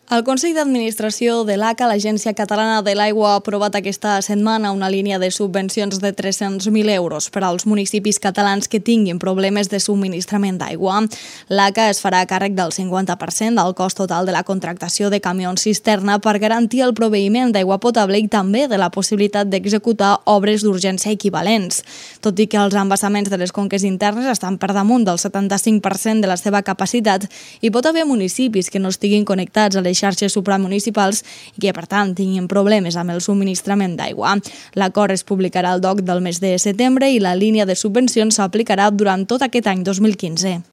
El Consell d'Administració de l'ACA, l'Agència Catalana de l'Aigua, ha aprovat aquesta setmana una línia de subvencions de 300.000 euros per als municipis catalans que tinguin problemes de subministrament d'aigua. L'ACA es farà càrrec del 50% del cost total de la contractació de camions cisterna per garantir el proveïment d'aigua potable i també de la possibilitat d'executar obres d'urgència equivalents. Tot i que els embassaments de les conques internes estan per damunt del 75% de la seva capacitat, hi pot haver municipis que no estiguin connectats a les xarxes supramunicipals i que, per tant, tinguin problemes amb el subministrament d'aigua. L'acord es publicarà al DOC del mes de setembre i la línia de subvencions s'aplicarà durant tot aquest any 2015.